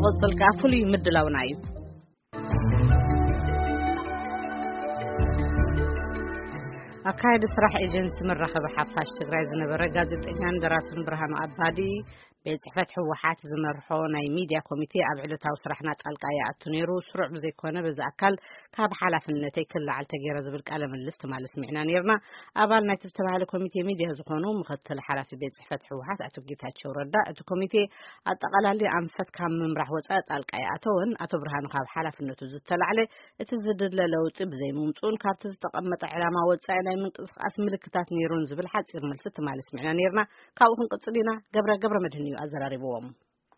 ክቕጽል ከኣ ፍሉይ ምድላውና እዩ። ኣካያዲ ስራሕ ኤጀንሲ መራኸቢ ሓፋሽ ትግራይ ዝነበረ ጋዜጠኛን ደራስን ብርሃኑ ኣባዲ፣ ቤት ጽሕፈት ህወሓት ዝመርሖ ናይ ሚድያ ኮሚቴ ኣብ ዕለታዊ ስራሕና ጣልቃ ይኣቱ ነይሩ። ስሩዕ ብዘይኮነ በዚ ኣካል ካብ ሓላፍነተይ ክለዓል ተገይረ ዝብል ቃለ ምልልስ ትማሊ ስሚዕና ነይርና። ኣባል ናይቲ ዝተባህለ ኮሚቴ ሚድያ ዝኾኑ ምኽትል ሓላፊ ቤት ጽሕፈት ህወሓት ኣቶ ጌታቸው ረዳ፣ እቲ ኮሚቴ ኣጠቓላሊ ኣንፈት ካብ ምምራሕ ወጻኢ ጣልቃ ይኣተወን፣ ኣቶ ብርሃኑ ካብ ሓላፍነቱ ዝተላዕለ እቲ ዝድለ ለውጢ ብዘይምምጽኡን ካብቲ ዝተቐመጠ ዕላማ ወጻኢ ናይ ምንቅስቓስ ምልክታት ነይሩን ዝብል ሓጺር መልሲ ትማሊ ስሚዕና ነይርና። ካብኡ ክንቅጽል ኢና። ገብረ ገብረ መድህን እዩ ኣዘራሪብዎም።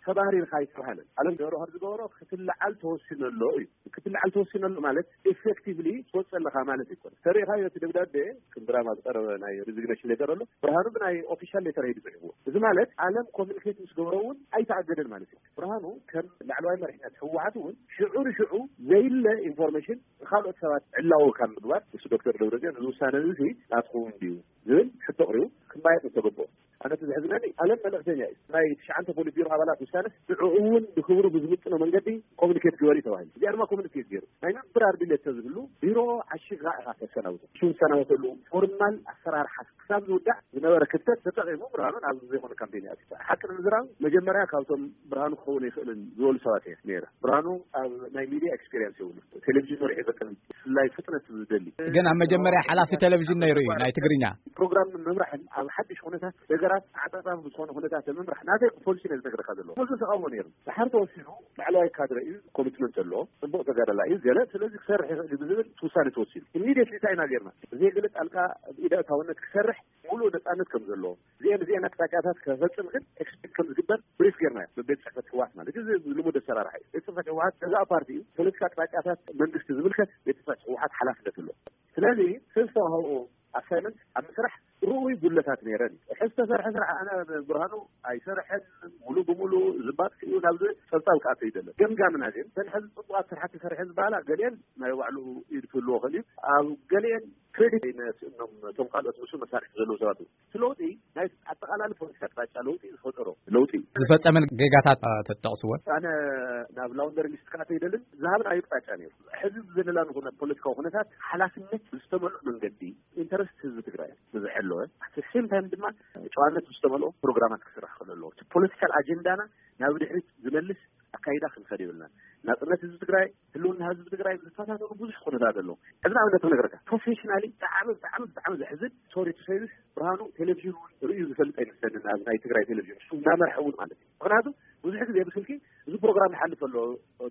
ተባህሪርካ ኣይተባህለን። ዓለም ገብረ ካብ ዝገበሮ ክትለዓል ተወሲኑ ኣሎ እዩ። ክትለዓል ተወሲኑ ኣሎ ማለት ኤፌክቲቭሊ ትወፅእ ኣለኻ ማለት ኣይኮነ። ተሪእኻዮ እቲ ደብዳቤ ከም ድራማ ዝቀረበ ናይ ሪዚግኔሽን ሌተር ኣሎ። ብርሃኑ ብናይ ኦፊሻል ሌተር እዩ ዝፅሕፍዎ። እዚ ማለት ዓለም ኮሚኒኬት ምስ ገበሮ እውን ኣይተኣገደን ማለት እዩ። ብርሃኑ ከም ላዕለዋይ መሪሕነት ህወሓት እውን ሽዑ ንሽዑ ዘይለ ኢንፎርሜሽን ንካልኦት ሰባት ዕላዊ ካብ ምግባር፣ ምስ ዶክተር ደብረፅዮን እዚ ውሳነ እዚ ናትኩም ድዩ ዝብል ሕቶ ኣቕሪቡ ክማየጥ ዝተገበኦ። ኣነ እቲ ዘሕዝነኒ ዓለም መልእክተኛ እዩ። ናይ ትሽዓንተ ፖሊት ቢሮ ኣባላት ውሳነስ ንዕኡ እውን ብክብሩ ብዝምጥኖ መንገዲ ኮሚኒኬት ግበር እዩ ተባሂሉ። እዚኣ ድማ ኮሚኒኬት ገይሩ። ናይ ምንብራር ድሌት ተዝህሉ ቢሮ ዓሺኻ ኢኻ ተሰናብቶ። ሽው ዝሰናበተሉ ፎርማል ኣሰራርሓ ክሳብ ዝውዳእ ዝነበረ ክፍተት ተጠቒሙ ብርሃኑ ናብ ዘይኮነ ካምፔን ይኣትዩ። ሓቂ ንምዝራብ መጀመርያ ካብቶም ብርሃኑ ክኸውን ኣይኽእልን ዝበሉ ሰባት እየ ነይረ። ብርሃኑ ኣብ ናይ ሚድያ ኤክስፔሪንስ የብሉ። ቴሌቪዥን ወርሒ ዘቀን ብፍላይ ፍጥነት ዝደሊ ግን ኣብ መጀመርያ ሓላፊ ቴሌቪዥን ነይሩ እዩ ናይ ትግርኛ። ፕሮግራም ምምራሕን ኣብ ሓድሽ ኩነታት ነገራት ኣዕጻጻፊ ብዝኾነ ኩነታት ምምራሕ ናተይ ፖሊሲ ነዚ ነገርካ ዘለዎ ብዙ ተቃውሞ ነይሩ። ድሓር ተወሲኑ ላዕለዋይ ካድረ እዩ፣ ኮሚትመንት ኣለዎ፣ ጽቡቕ ተጋዳላይ እዩ ገለ ስለዚ ክሰርሕ ይኽእል እዩ ብዝብል ውሳኔ ተወሲኑ። ኢሚዲየትሊ እንታይ ኢና ጌርና? ብዘይ ገለ ጣልቃ ኢደ ኣእታውነት ክሰርሕ ሙሉእ ነጻነት ከም ዘለዎ እዚአን እዚአን ኣቅጣጫታት ከፈጽም ግን ኤክስፔክት ከም ዝግበር ብሪፍ ጌርና ብቤት ጽሕፈት ህወሓት ማለት እዩ። እዚ ልሙድ ኣሰራርሓ እዩ። ቤት ጽሕፈት ህወሓት ገዛእ ፓርቲ እዩ። ፖለቲካ ኣቅጣጫታት መንግስቲ ዝምልከት ቤት ጽሕፈት ህወሓት ሓላፍነት ኣለዎ። ስለዚ ዝተዋህቦ ኣሳይመንት ኣብ ምስራሕ ርኡይ ጉድለታት ነይረን። ሕዚ ዝተሰርሐ ስራሕ ኣነ ብርሃኑ ኣይሰርሐን ሙሉ ብሙሉ ዝባጥ እዩ ናብ ዝብል ጸብጻብ ክኣቱ ይደለ። ገምጋምና ግን እተን ሕዚ ጽቡቓት ስራሕቲ ሰርሐ ዝበሃላ ገሊአን ናይ ባዕሉ ኢድ ክህልዎ ክእል እዩ። ኣብ ገሊአን ክሬዲት ይነስእኖም እቶም ካልኦት ንሱ መሳርሒ ዘለዉ ሰባት እዩ። እቲ ለውጢ ናይ ኣጠቓላሊ ፖለቲካ ኣቅጣጫ ለውጢ ዝፈጠሮ ለውጢ እዩ። ዝፈጸመ ጌጋታት ተጠቕስወን። ኣነ ናብ ላውንደሪ ሊስት ክኣተ ይደልን ዝሃብን ኣዩ ኣቅጣጫ ነይሩ። ሕዚ ዘለና ንኹነ ፖለቲካዊ ኩነታት ሓላፍነት ብዝተመልኦ መንገዲ ኢንተረስት ህዝቢ ትግራይ ብዝሐለወ ኣት ሴም ታይም ድማ ጨዋነት ብዝተመልኦ ፕሮግራማት ክስራሕ ክእል ኣለዎ። እቲ ፖለቲካል ኣጀንዳና ናብ ድሕሪት ዝመልስ ኣካይዳ ክንኸድ የብልና። ናጽነት ህዝቢ ትግራይ፣ ህልውና ህዝቢ ትግራይ ዝፈታተኑ ብዙሕ ኩነታት ኣለዉ። ሕዚ ንኣብነት ክነግረካ ፕሮፌሽናሊ ብጣዕሚ ብጣዕሚ ብጣዕሚ ዘሕዝን ሶሪ ቱ ሴይ ዚስ ብርሃኑ ቴሌቪዥን እውን ርእዩ ዝፈልጥ ኣይመስለንን። ኣብ ናይ ትግራይ ቴሌቪዥን እሱ እናመርሐ እውን ማለት እዩ። ምክንያቱ ብዙሕ ግዜ ብስልኪ እዚ ፕሮግራም ይሓልፍ ኣሎ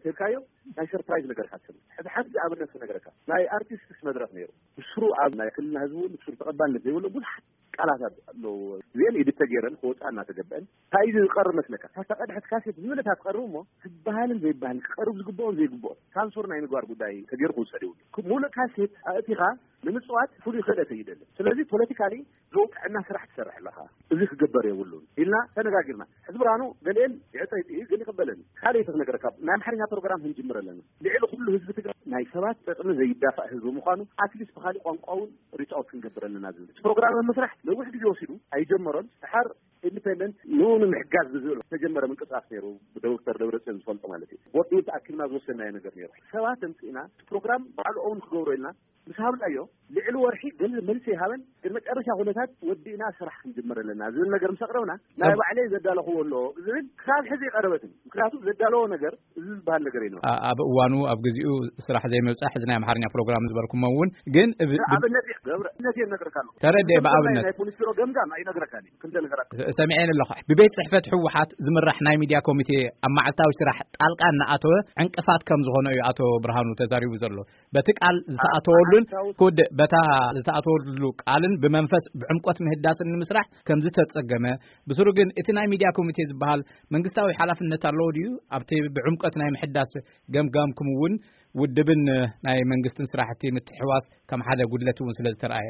ተልካዮ ናይ ሰርፕራይዝ ነገር ካትሰም ሕዚ ሓንቲ ኣብነት ክነግረካ ናይ ኣርቲስትስ መድረክ ነይሩ ብስሩ ኣብ ናይ ክልልና ህዝቢ እውን ብስሩ ተቐባልነት ዘይብሎ ብዙሓት ቃላት ኣለዎ። እዚአን ኢዲት ተገይረን ክወፃ እናተገበአን እንታይ እዩ ዝቀርብ መስለካ? ካብታ ቀድሐት ካሴት ዝበለታ ትቀርብ እሞ ዝበሃልን ዘይበሃልን ክቀርብ ዝግብኦን ዘይግብኦን ሳንሱር ናይ ምግባር ጉዳይ ተገይሩ ክውሰድ ይብሉ። ሙሉእ ካሴት ኣእቲኻ ንምፅዋት ፍሉይ ክእለት ኣይደልን። ስለዚ ፖለቲካሊ ዝውቅዕና ስራሕ ትሰርሕ ኣለኻ። እዚ ክግበር የብሉን ኢልና ተነጋጊርና። ሕዚ ብርሃኑ ገሊአን ይዕፀ ይጥዩ ግን ይቅበለኒ። ካልእ ክነገረካ ናይ ኣምሓርኛ ፕሮግራም ክንጅምር ኣለና። ልዕሊ ኩሉ ህዝቢ ትግራይ ናይ ሰባት ጥቅሚ ዘይዳፋእ ህዝቢ ምዃኑ ኣትሊስት ብካሊእ ቋንቋ እውን ሪች ኣውት ክንገብር ኣለና ዝብል እቲ ፕሮግራም ኣብ ምስራሕ ነዊሕ ግዜ ወሲዱ ኣይጀመሮን። ድሓር ኢንዲፔንደንት ንኡ ንምሕጋዝ ብዝብል ዝተጀመረ ምንቅስቃስ ነይሩ። ብዶክተር ደብረፅዮን ዝፈልጦ ማለት እዩ። ቦርድ እውን ተኣኪብና ዝወሰናዮ ነገር ነይሩ። ሰባት ኣምፅእና እቲ ፕሮግራም ባዕሉ እውን ክገብሮ ኢልና ምስ ሃብናዮ ልዕሊ ወርሒ ገንዘብ መልሲ ይሃበን ግን መጨረሻ ኩነታት ወዲእና ስራሕ ክንጅምር ኣለና ዝብል ነገር ምስ ኣቅረብና ናይ ባዕለይ ዘዳለኽዎ ኣሎ ዝብል ክሳብ ሕዚ ይቀረበትን ምክንያቱ ዘዳለዎ ነገር እዚ ዝበሃል ነገር እዩ። ኣብ እዋኑ ኣብ ግዚኡ ስራሕ ዘይምብፃሕ እዚ ናይ ኣምሓርኛ ፕሮግራም ዝበልኩሞ እውን ግን ብ- ብ- ኣብነት እየ ገብረ ኣብነት እየ ነግረካ ኣለኹ። ተረድኤ ብኣብነት ናይ ፖሊስ ቢሮ ገምጋም ኣይነግረካን እዩ። ክንደ ነገራት ሰሚዐን ኣለኹ። ብቤት ፅሕፈት ህወሓት ዝምራሕ ናይ ሚድያ ኮሚቴ ኣብ መዓልታዊ ስራሕ ጣልቃ እናኣተወ ዕንቅፋት ከም ዝኾነ እዩ ኣቶ ብርሃኑ ተዛሪቡ ዘሎ። በቲ ቃል ዝተኣተወሉን ክውድእ በታ ዝተኣተወሉ ቃልን ብመንፈስ ብዕምቆት ምህዳስን ንምስራሕ ከም ዝተጸገመ ብስሩ ግን እቲ ናይ ሚድያ ኮሚቴ ዝበሃል መንግስታዊ ሓላፍነት ኣለዎ ድዩ ኣብቲ ብዕምቆት ናይ ምሕዳስ ገምጋምኩም እውን ውድብን ናይ መንግስትን ስራሕቲ ምትሕዋስ ከም ሓደ ጉድለት እውን ስለ ዝተረኣየ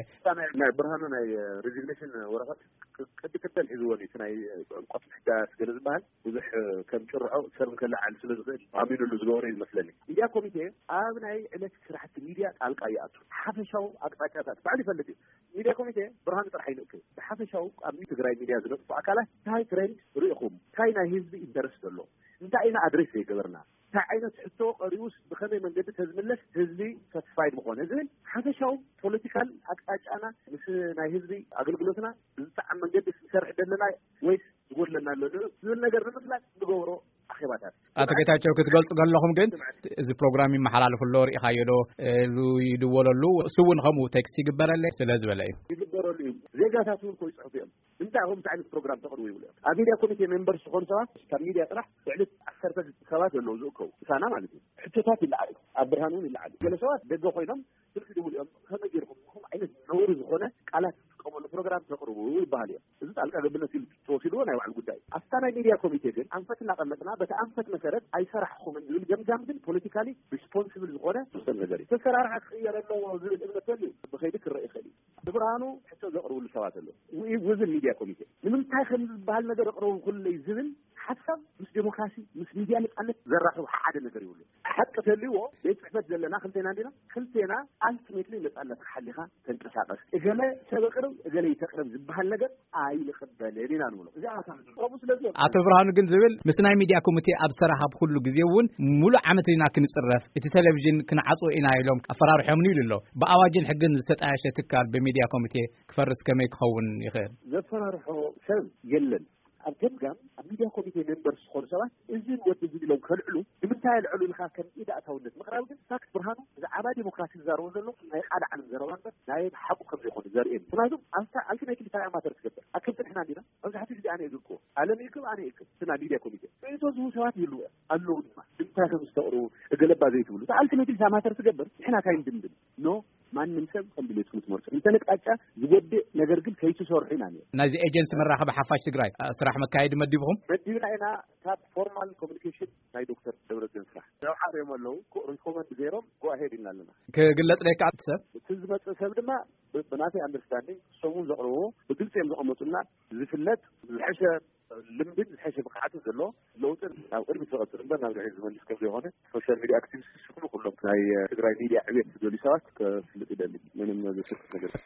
ናይ ብርሃኑ ናይ ሪዚግኔሽን ወረቐት ቅዲ ቅደም ሒዝዎ እቲ ናይ ዕምቆት ምሕዳስ ገለ ዝበሃል ብዙሕ ከም ጭርሖ ሰብ ከለዓል ስለ ዝኽእል ኣሚኑሉ ዝገበሮ እዩ ዝመስለኒ። ሚድያ ኮሚቴ ኣብ ናይ ዕለት ስራሕቲ ሚድያ ጣልቃ ይኣቱ። ሓፈሻዊ ኣቅጣጫታት ባዕሉ ይፈልጥ እዩ። ሚድያ ኮሚቴ ብርሃኑ ጥራሕ ይንእክ። ብሓፈሻዊ ኣብ ትግራይ ሚድያ ዝነጥፉ ኣካላት እንታይ ትሬንድ ርኢኹም እንታይ ናይ ህዝቢ ኢንተረስት ዘሎ እንታይ ኢና ኣድሬስ ዘይገበርና? እንታይ ዓይነት ሕቶ ቀሪቡስ ብኸመይ መንገዲ ተዝምለስ ህዝቢ ሳቲስፋይድ ምኾነ ዝብል ሓፈሻዊ ፖለቲካል ኣቅጣጫና ምስ ናይ ህዝቢ ኣገልግሎትና ብዝጠዓም መንገዲ ክንሰርሕ ዘለና ወይስ ዝጎድለና ኣሎ ዝብል ነገር ንምፍላጥ ዝገብሮ ኣኼባታት። ኣቶ ጌታቸው፣ ክትገልጹ ከለኹም ግን እዚ ፕሮግራም ይመሓላለፍ ኣሎ፣ ርኢኻዮ ዶ? ሉ ይድወለሉ፣ እሱ እውን ከምኡ ቴክስት ይግበረለይ ስለ ዝበለ እዩ። ይግበረሉ እዩ። ዜጋታት እውን ከይጽሕፉ እዮም። እንታይ ከምዚ ዓይነት ፕሮግራም ተቕርቡ ይብሉ እዮም። ኣብ ሚድያ ኮሚቴ ሜምበር ዝኾኑ ሰባት ካብ ሚድያ ጥራሕ ብዕለት ዓሰርተ ሰባት ዘለዉ ዝእከቡ ምሳና ማለት እዩ። ሕቶታት ይለዓሉ፣ ኣብ ብርሃን እውን ይለዓሉ። ገለ ሰባት ደገ ኮይኖም ስልኪ ድውሉ እዮም። ከመይ ገይርኩም ከምኡ ዓይነት ነውሪ ዝኾነ ቃላት ዝጥቀመሉ ፕሮግራም ተቕርቡ ይበሃል እዮም። እዚ ጣልቃ ገብነት ኢሉ ተወሲድዎ ናይ ባዕሉ ጉዳይ። ኣብታ ናይ ሚድያ ኮሚቴ ግን ኣንፈት እናቐመጥና በቲ ኣንፈት መሰረት ኣይሰራሕኹምን ዝብል ገምጋም ግን ፖለቲካሊ ሪስፖንስብል ዝኾነ ዝውሰን ነገር እዩ። ተሰራርሓ ክቕየር ኣለዎ ዝብል እምነት ተልዩ ብኸይዲ ክረአ ይኽእል እዩ። ብብርሃኑ ሕቶ ዘቕርብሉ ሰባት ኣለዉ። ዊ-፣ ውዝን ሚድያ ኮሚቴ ንምንታይ ከም ዝበሃል ነገር ኣቕርቡ ኩለይ ዝብል ሓሳብ ምስ ዴሞክራሲ፣ ምስ ሚድያ ነጻነት ዘራኽብ ሓደ ነገር ይብሉ። ሓቂ ተልዎ ቤት ጽሕፈት ዘለና ክልቴና እንዲና፣ ክልቴና ኣልቲሜትሊ ነጻነት ሓሊኻ ተንቀሳቐስ። እገለ ሰብ ኣቕርብ፣ እገለ ይተቕርብ ዝበሃል ነገር ኣይንቕበልን ኢና ንብሎ። እዚኣ እታ ከምኡ ስለዚ ኣቶ ብርሃኑ ግን ዝብል ምስ ናይ ሚድያ ኮሚቴ ኣብ ዝተራኸብኩሉ ግዜ እውን ሙሉእ ዓመት ኢና ክንጽረፍ፣ እቲ ቴሌቪዥን ክንዓጽዎ ኢና ኢሎም ኣፈራርሖምኒ ኢሉ ኣሎ። ብኣዋጅን ሕግን ዝተጣየሸ ትካል ብሚድያ ኮሚቴ ክፈርስ ከመይ ክኸውን ይኽእል? ዘፈራርሖ ሰብ የለን። ኣብ ገምጋም ኣብ ሚድያ ኮሚቴ ሜምበር ዝኾኑ ሰባት እዝን ወዲ እዝን ኢሎም ከልዕሉ ንምንታይ ኣልዕሉ ኢልካ ከም ኢድ ኣእታውነት ምቕራብ ግን ፋክት ብርሃኑ ብዛዕባ ዴሞክራሲ ዝዛረቦ ዘሎ ናይ ቃል ዓለም ዘረባ እምበር ናይ ሓቁ ከም ዘይኮነ ዘርእየኒ። ምክንያቱ ኣብታ ኣልቲሜትሊ እንታይ እያ ማተር ትገብር? ኣክብቲ ንሕና እንዲና መብዛሕትኡ ግዜ ኣነ እየ ዝልክዎ። ኣለም ይክብ ኣነ ይክብ ስና ሚድያ ኮሚቴ ርእቶ ዝህቡ ሰባት ይህልዉ እዮም ኣለዉ ድማ ንምንታይ ከም ዝተቕርቡ እገለባ ዘይትብሉ። እታ ኣልቲሜትሊ እታ ማተር ትገብር ንሕና እንታይ ንድምድም ኖ ማንም ሰብ ከም ድሌትኩም ትመርጹ። እንተ ንቃጫ ዝጎድእ ነገር ግን ከይትሰርሑ ኢና ንብል። ናይዚ ኤጀንሲ መራኸቢ ሓፋሽ ትግራይ፣ እ፣ ስራሕ መካየዲ መዲብኹም? መዲብና ኢና። ካብ ፎርማል ኮሚኒኬሽን ናይ ዶክተር ደብረጽዮን ስራሕ ዘውሓርዮም ኣለዉ። ኮ-፣ ሪኮመንድ ገይሮም ጎ ኣሄድ ኢልና ኣለና። ክግለጽ ለካ እቲ ሰብ? እቲ ዝመጽእ ሰብ ድማ ብ-፣ ብናተይ ኣንደርስታንዲንግ እሶም እውን ዘቕርብዎ ብግልፂ እዮም ዘቐመጡልና። ዝፍለጥ ዝሐሸ ልምድን ዝሐሸ ብቕዓትን ዘለዎ ለውጥን ናብ ቅድሚት ዝቐፅል እምበር ናብ ድሕሪት ዝመልስ ከም ዘይኮነ ሶሻል ሚድያ ኣክቲቪስት ዝስክሉ ኩሎም ናይ ትግራይ ሚድያ ዕቤት ዝደልዩ ሰባት ከፍልጥ ይደሊ። ምንም ዘስክፍ ነገር የለን።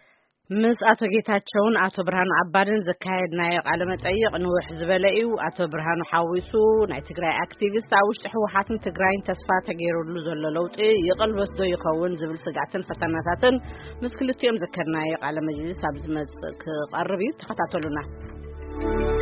ምስ ኣቶ ጌታቸውን ኣቶ ብርሃኑ ኣባድን ዘካየድናዮ ቃለ መጠይቕ ንውሕ ዝበለ እዩ። ኣቶ ብርሃኑ ሓዊሱ ናይ ትግራይ ኣክቲቪስት ኣብ ውሽጢ ህወሓትን ትግራይን ተስፋ ተገይሩሉ ዘሎ ለውጢ ይቕልበስ ዶ ይኸውን ዝብል ስጋዕትን ፈተናታትን ምስ ክልቲኦም ዘካየድናዮ ቃለ መጅልስ ኣብ ዝመጽእ ክቐርብ እዩ። ተኸታተሉና።